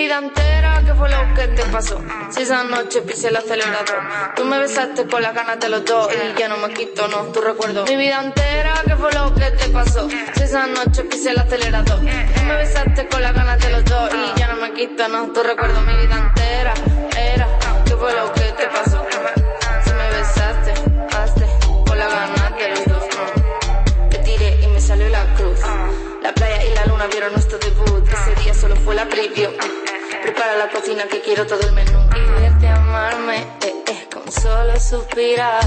vida entera, ¿qué fue lo que te pasó? Si esa noche pisé el acelerador, tú me besaste con las ganas de los dos y ya no me quito, no, tu recuerdo. Mi vida entera, ¿qué fue lo que te pasó? Si esa noche pisé el acelerador, tú me besaste con las ganas de los dos y ya no me quito, no, tu recuerdo. Mi vida entera, ¿qué fue lo que te pasó? Si me besaste, con las ganas de los dos, no. Te tiré y me salió la cruz. La playa y la luna vieron nuestro debut. Ese día solo fue la preview. Prepara la cocina que quiero todo el menú. Y verte amarme, con solo suspirar.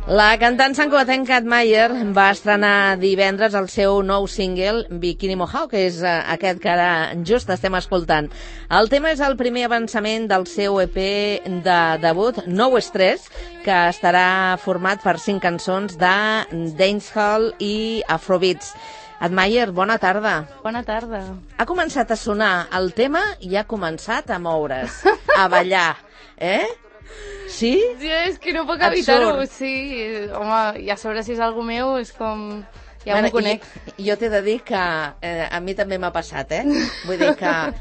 La cantant santcugatenca Cat Mayer va estrenar divendres el seu nou single, Bikini Mojao, que és aquest que ara just estem escoltant. El tema és el primer avançament del seu EP de debut, No Estrès, que estarà format per 5 cançons de dancehall i afrobeats. Cat Mayer, bona tarda. Bona tarda. Ha començat a sonar el tema i ha començat a moure's, a ballar, Sí? Sí, és que no puc evitar-ho, sí. Home, i a sobre si és algú meu és com... Ja m'ho conec. Jo t'he de dir que a mi també m'ha passat, Vull dir que...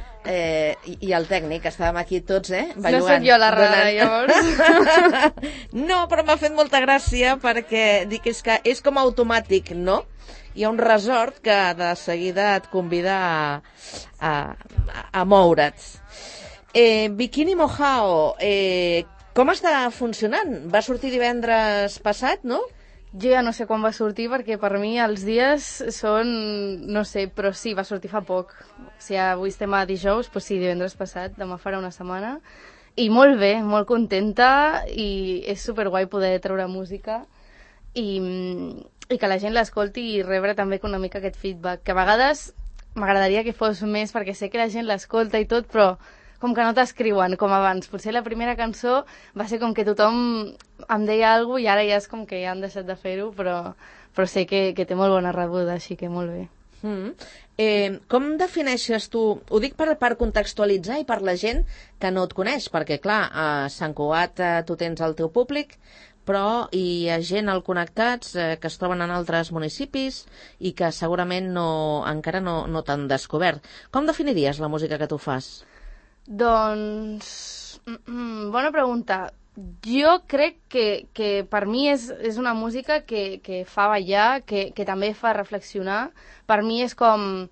I el tècnic, estàvem aquí tots, ballugant. No soc jo la rara, llavors. No, però m'ha fet molta gràcia perquè dic que és com automàtic, no? Hi ha un resort que de seguida et convida a moure't. Bikini Mojao, com està funcionant? Va sortir divendres passat, no? Jo ja no sé quan va sortir perquè per mi els dies són... no sé, però sí, va sortir fa poc. Si avui estem a dijous, doncs sí, divendres passat, demà farà una setmana. I molt bé, molt contenta i és superguai poder treure música i que la gent l'escolti i rebre també una mica aquest feedback, que a vegades m'agradaria que fos més perquè sé que la gent l'escolta i tot, però com que no t'escriuen com abans. Potser la primera cançó va ser com que tothom em deia alguna cosa i ara ja és com que ja han deixat de fer-ho, però sé que té molt bona rebuda, així que molt bé. Com defineixes tu, ho dic per contextualitzar i per la gent que no et coneix, perquè clar, a Sant Cugat tu tens el teu públic, però hi ha gent al Connectats que es troben en altres municipis i que segurament encara no t'han descobert. Com definiries la música que tu fas? Doncs, bona pregunta. Jo crec que per mi és una música que fa ballar, que també fa reflexionar. Per mi és com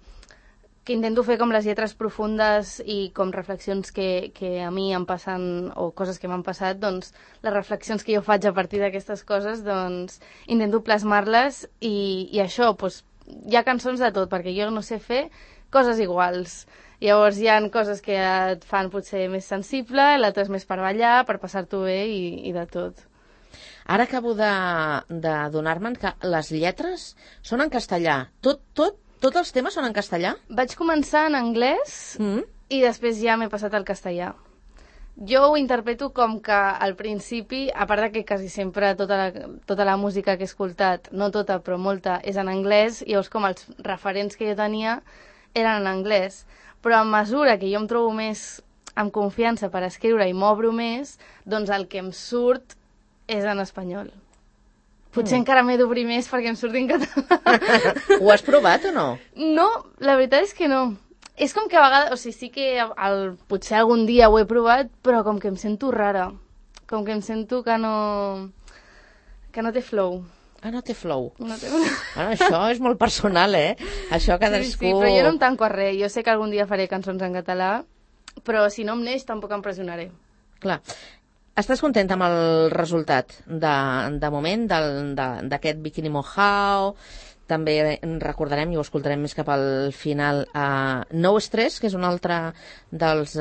que intento fer com les lletres profundes i com reflexions que a mi em passen o coses que m'han passat, doncs les reflexions que jo faig a partir d'aquestes coses, doncs intento plasmar-les i això, doncs hi ha cançons de tot, perquè jo no sé fer coses iguals. Llavors hi ha coses que et fan potser més sensible, l'altre és més per ballar, per passar-t'ho bé i de tot. Ara acabo d'adonar-me'n que les lletres són en castellà. Tots els temes són en castellà? Vaig començar en anglès i després ja m'he passat al castellà. Jo ho interpreto com que al principi, a part de que quasi sempre tota la música que he escoltat, no tota però molta, és en anglès, llavors com els referents que jo tenia eren en anglès. Però a mesura que jo em trobo més amb confiança per escriure i m'obro més, doncs el que em surt és en espanyol. Potser encara m'he d'obrir més perquè em surti en català. Ho has provat o no? No, la veritat és que no. És com que a vegades, o sigui, sí que potser algun dia ho he provat, però com que em sento rara. Com que em sento que no té flow. Ah, no té flow. No té flow. Bueno, això és molt personal, Això cadascú... Sí, però jo no em tanco a res. Jo sé que algun dia faré cançons en català, però si no em neix tampoc em pressionaré. Clar. Estàs contenta amb el resultat de moment d'aquest Bikini Mojao? També recordarem i ho escoltarem més cap al final No Estrès, que és un altre dels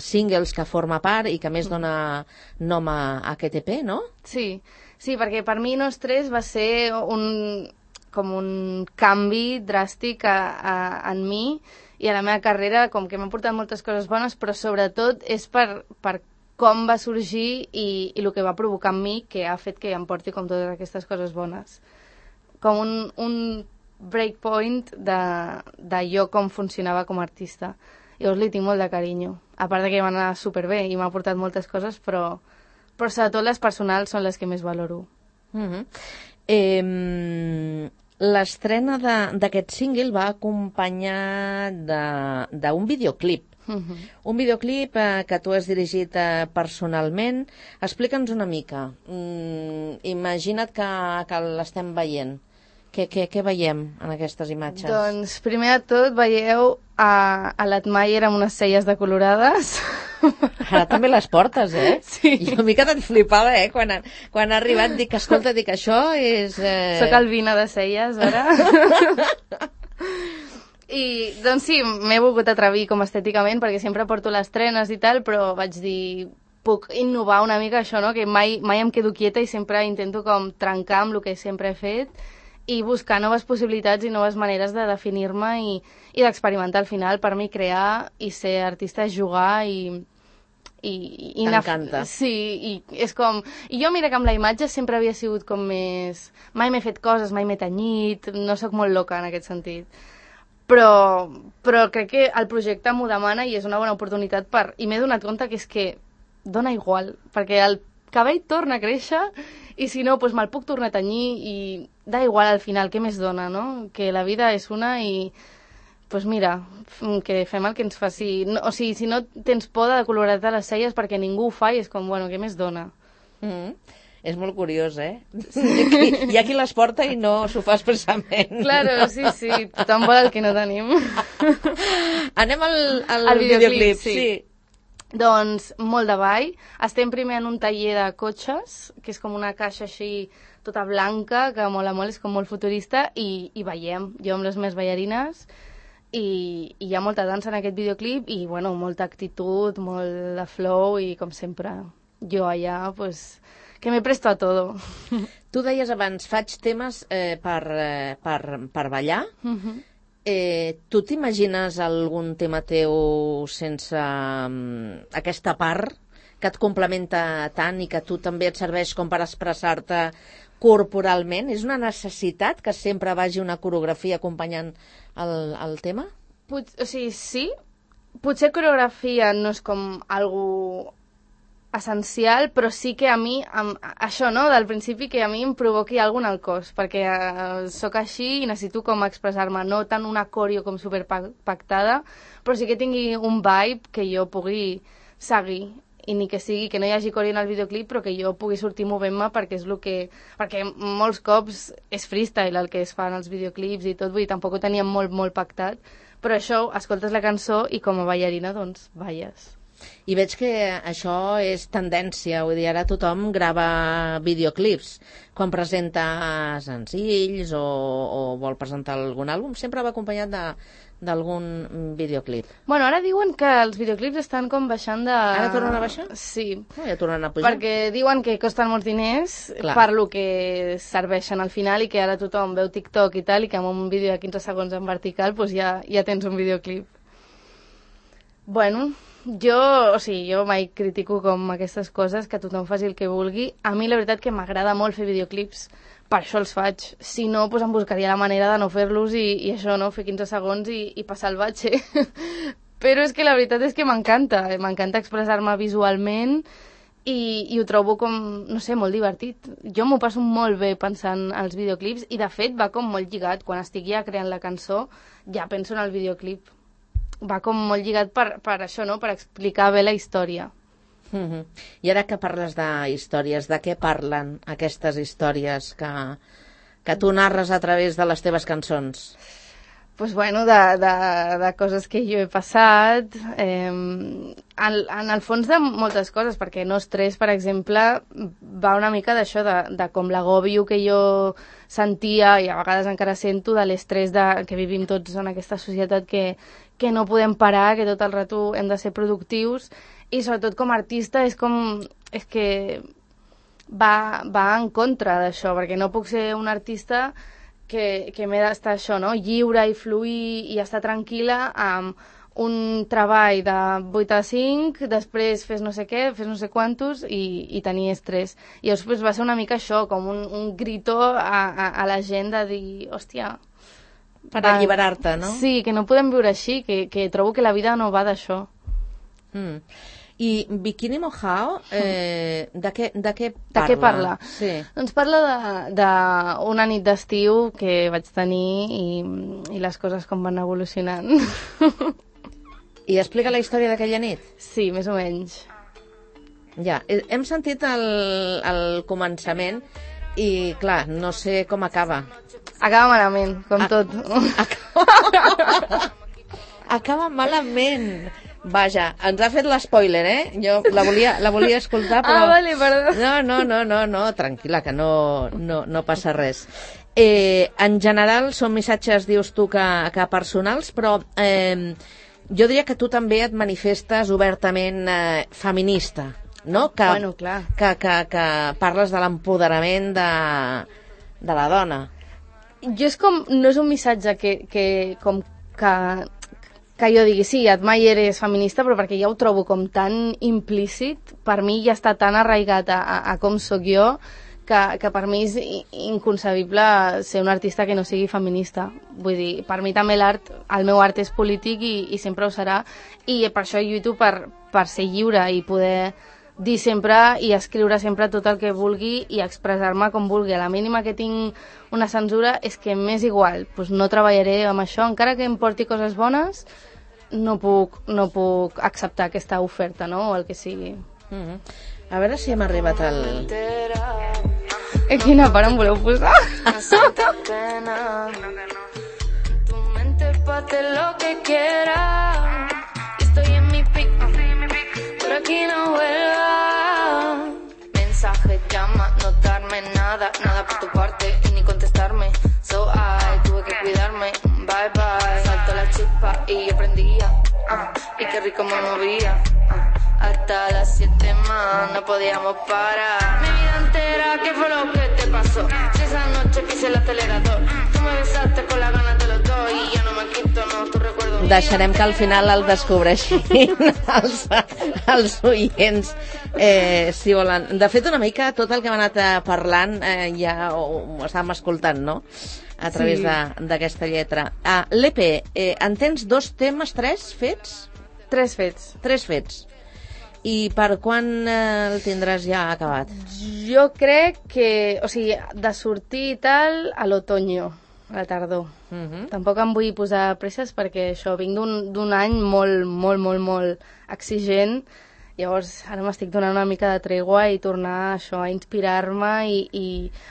singles que forma part i que més dona nom a aquest EP, no? Sí, perquè per mi No Estrès va ser com un canvi dràstic en mi i a la meva carrera, com que m'han portat moltes coses bones, però sobretot és per com va sorgir i el que va provocar en mi, que ha fet que em porti com totes aquestes coses bones. Com un breakpoint de jo com funcionava com a artista. Llavors li tinc molt de carinyo. A part de que va anar superbé i m'ha portat moltes coses, però sobretot les personals són les que més valoro. L'estrena d'aquest single va acompanyar d'un videoclip. Un videoclip que tu has dirigit personalment. Explica'ns una mica. Imagina't que l'estem veient. Què veiem en aquestes imatges? Doncs, primer de tot, veieu a l'Atmayer amb unes celles decolorades. Ara també les portes, eh? Sí. Jo una mica te'n flipava, eh? Quan ha arribat, dic, escolta, això és... Soc albina de celles, ara. I, doncs sí, m'he volgut atrevir com estèticament, perquè sempre porto les trenes i tal, però vaig dir, puc innovar una mica això, no? Que mai em quedo quieta i sempre intento com trencar amb el que sempre he fet i buscar noves possibilitats i noves maneres de definir-me i d'experimentar al final. Per mi crear i ser artista és jugar i t'encanta. Sí, i és com... I jo mira que amb la imatge sempre havia sigut com més... Mai m'he fet coses, mai m'he tenyit, no sóc molt loca en aquest sentit. Però crec que el projecte m'ho demana i és una bona oportunitat i m'he donat compte que és que dona igual, perquè el cabell torna a créixer i si no, doncs me'l puc tornar a tenyir i da igual al final, què més dona, no? Que la vida és una i doncs mira, que fem el que ens faci. No, o sigui, si no tens por de colorar-te les celles perquè ningú ho fa i és com, bueno, què més dona? És molt curiós, eh? Hi ha qui les porta i no s'ho fa expressament. Claro, sí, tothom vol el que no tenim. Anem al videoclip, sí. Doncs molt de ball. Estem primer en un taller de cotxes, que és com una caixa així tota blanca, que mola molt, és com molt futurista, i ballem, jo amb les meves ballarines, i hi ha molta dansa en aquest videoclip, i bueno, molta actitud, molt de flow, i com sempre, jo allà, pues, que me presto a todo. Tu deies abans, faig temes per ballar. Tu t'imagines algun tema teu sense aquesta part que et complementa tant i que tu també et serveix com per expressar-te corporalment? És una necessitat que sempre vagi una coreografia acompanyant el tema? O sigui, sí. Potser coreografia no és com algo essencial, però sí que a mi, això, no?, del principi, que a mi em provoqui alguna cosa al cos, perquè sóc així i necessito com expressar-me, no tant una coreo com superpactada, però sí que tingui un vibe que jo pugui seguir, i ni que sigui que no hi hagi coreo en el videoclip, però que jo pugui sortir movent-me perquè és el que... Perquè molts cops és freestyle el que es fa en els videoclips i tot, vull dir, tampoc ho teníem molt pactat, però això, escoltes la cançó i com a ballarina, doncs, balles. I veig que això és tendència, vull dir, ara tothom grava videoclips. Quan presenta senzills o vol presentar algun àlbum, sempre va acompanyat d'algun videoclip. Bueno, ara diuen que els videoclips estan com baixant de... Ara tornen a baixar? Sí. No, ja tornen a pujar. Perquè diuen que costen molts diners per lo que serveixen al final i que ara tothom veu TikTok i tal i que amb un vídeo de 15 segons en vertical doncs ja tens un videoclip. Bueno... Jo mai critico com aquestes coses, que tothom faci el que vulgui. A mi la veritat que m'agrada molt fer videoclips, per això els faig. Si no, doncs em buscaria la manera de no fer-los i això, no? Fer 15 segons i passar el batxe. Però és que la veritat és que m'encanta expressar-me visualment i ho trobo com, no sé, molt divertit. Jo m'ho passo molt bé pensant als videoclips i de fet va com molt lligat. Quan estic ja creant la cançó ja penso en el videoclip. Va com molt lligat per això, no?, per explicar bé la història. I ara que parles d'històries, de què parlen aquestes històries que tu narres a través de les teves cançons? Pues bueno, de coses que jo he passat, en el fons de moltes coses, perquè No Estrès, per exemple, va una mica d'això, de com l'agòbio que jo sentia, i a vegades encara sento, de l'estrès que vivim tots en aquesta societat que no podem parar, que tot el rato hem de ser productius, i sobretot com a artista és que va en contra d'això, perquè no puc ser un artista que m'he d'estar això, no?, lliure i fluir i estar tranquil·la amb un treball de 8 a 5, després fes no sé què, fes no sé quantos i tenir estrès. I llavors va ser una mica això, com un grito a la gent de dir, hòstia... Per alliberar-te, no? Sí, que no podem viure així, que trobo que la vida no va d'això. I Bikini Mojao, de què parla? De què parla? Sí. Doncs parla d'una nit d'estiu que vaig tenir i les coses com van evolucionant. I explica la història d'aquella nit? Sí, més o menys. Ja, hem sentit el començament i, clar, no sé com acaba. Acaba malament, com tot. Acaba malament. Vaja, ens ha fet l'espoiler, Jo la volia escoltar, però... Vale, perdó. No, tranquil·la, que no passa res. En general són missatges, dius tu, que personals, però jo diria que tu també et manifestes obertament feminista, no? Bueno, clar. Que parles de l'empoderament de la dona. Jo no és un missatge que jo digui, sí, Admayer és feminista, però perquè ja ho trobo com tan implícit, per mi ja està tan arraigat a com sóc jo, que per mi és inconcebible ser un artista que no sigui feminista. Vull dir, per mi també el meu art és polític i sempre ho serà, i per això lluito per ser lliure i poder dir sempre i escriure sempre tot el que vulgui i expressar-me com vulgui. A la mínima que tinc una censura és que m'és igual, doncs no treballaré amb això, encara que em porti coses bones, no puc acceptar aquesta oferta, no?, o el que sigui. A veure si hem arribat al... Quina part em voleu posar? Tu mente pate lo que quiera. Estoy en mi pick, por aquí no vuelva. Mensaje, llama, no darme nada por tu parte y ni contestarme. So tuve que cuidarme, bye bye. Saltó la chispa y yo prendía, y qué rico me movía. Hasta las 7 más, no podíamos parar. Mi vida entera, ¿qué fue lo que te pasó? Si esa noche pise el acelerador, tú me besaste con las ganas de los dos y ya no me quito, no, tu recuerdo. Deixarem que al final el descobreixin els oients, si volen. De fet, una mica tot el que hem anat parlant ja ho estàvem escoltant, no?, a través d'aquesta lletra. L'EP, en tens 2 temes, 3 fets? 3 fets. 3 fets. I per quan el tindràs ja acabat? Jo crec que, o sigui, de sortir i tal, a l'otoño, a la tardor. Tampoc em vull posar presses perquè això, vinc d'un any molt exigent, llavors ara m'estic donant una mica de tregua i tornar això, a inspirar-me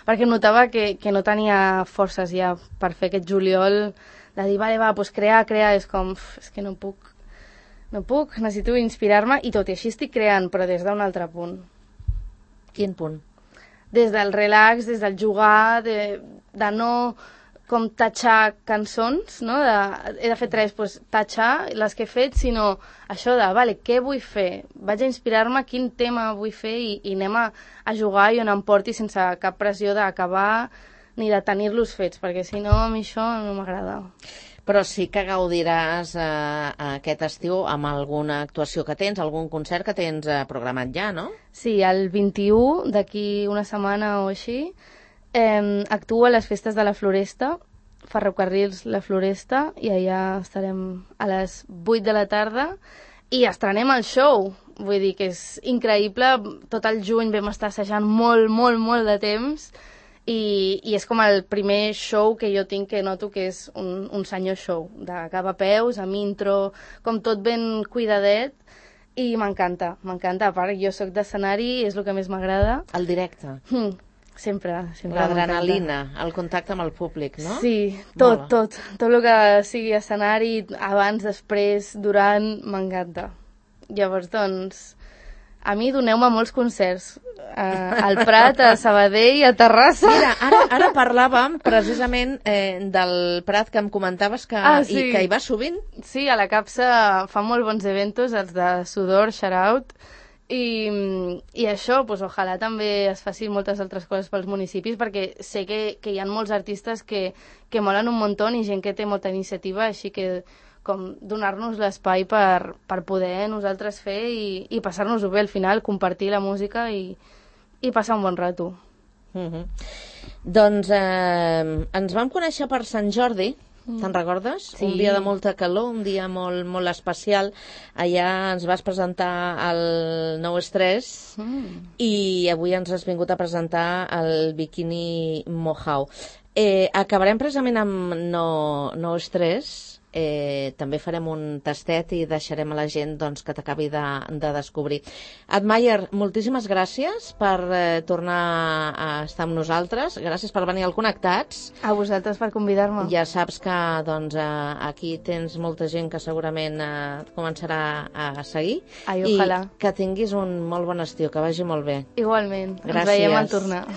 perquè notava que no tenia forces ja per fer aquest juliol, de dir, vale, va, doncs crear, és com, és que no puc, necessito inspirar-me i tot i així estic creant, però des d'un altre punt. Quin punt? Des del relax, des del jugar, de no com tatxar cançons, no? He de fer 3, doncs tatxar les que he fet, sinó això de, vale, què vull fer? Vaig a inspirar-me, quin tema vull fer i anem a jugar i on em porti sense cap pressió d'acabar ni de tenir-los fets, perquè si no, a mi això no m'agrada. Però sí que gaudiràs aquest estiu amb alguna actuació que tens, algun concert que tens programat ja, no? Sí, el 21, d'aquí una setmana o així, actuo a les festes de la Floresta, Ferrocarrils La Floresta, i allà estarem a les 8 de la tarda i estrenem el show. Vull dir que és increïble, tot el juny vam estar assajant molt de temps, i és com el primer show que jo tinc que noto que és un senyor show, de cap a peus, amb intro, com tot ben cuidadet, i m'encanta. A part, jo sóc d'escenari, és el que més m'agrada. El directe. Sempre. L'adrenalina, el contacte amb el públic, no? Sí, tot el que sigui escenari, abans, després, durant, m'encanta. Llavors, doncs, a mi doneu-me molts concerts, al Prat, a Sabadell, a Terrassa. Mira, ara parlàvem precisament del Prat que em comentaves que hi va sovint. Sí, a la Capsa fa molt bons eventos, els de Sudor, Shout Out, i això, doncs, ojalà també es faci moltes altres coses pels municipis, perquè sé que hi ha molts artistes que molen un muntó i gent que té molta iniciativa, així que com donar-nos l'espai per poder nosaltres fer i passar-nos-ho bé al final, compartir la música i passar un bon rato. Doncs ens vam conèixer per Sant Jordi, Te'n recordes? Sí. Un dia de molta calor, un dia molt, molt especial. Allà ens vas presentar el Nou Estrès i avui ens has vingut a presentar el Bikini Mojao. Acabarem precisament amb No Estrès. També farem un tastet i deixarem a la gent doncs, que t'acabi de descobrir. Admayer, moltíssimes gràcies per tornar a estar amb nosaltres. Gràcies per venir al Connectats. A vosaltres per convidar-me. Ja saps que doncs, aquí tens molta gent que segurament et començarà a seguir. Ai, ojalà. I que tinguis un molt bon estiu, que vagi molt bé. Igualment. Gràcies. Ens veiem al tornar.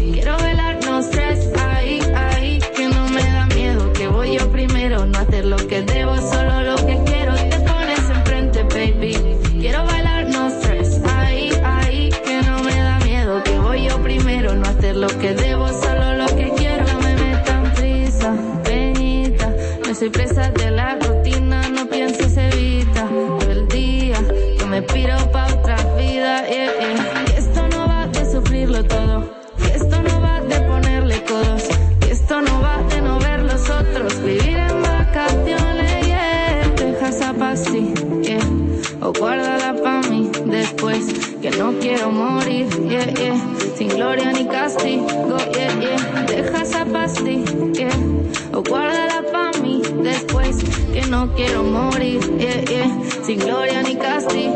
Quiero bailar, no stress, ahí, ahí, que no me da miedo, que voy yo primero, no hacer lo que debo, solo lo que quiero, te pones enfrente, baby. Quiero bailar, no stress, ahí, ahí, que no me da miedo, que voy yo primero, no hacer lo que debo, solo lo que quiero. No me metan prisa, peñita, no soy presa de la rutina, no pienses, evita todo el día, yo me piro pa' otra vida, que esto no va de sufrirlo todo, que esto no va de ponerle codos, que esto no va de no ver los otros, vivir en vacaciones, yeah. Deja esa pastilla, o guárdala pa' mí después, que no quiero morir, sin gloria ni castigo, Deja esa pastilla, o guárdala pa' mí después, que no quiero morir, sin gloria ni castigo.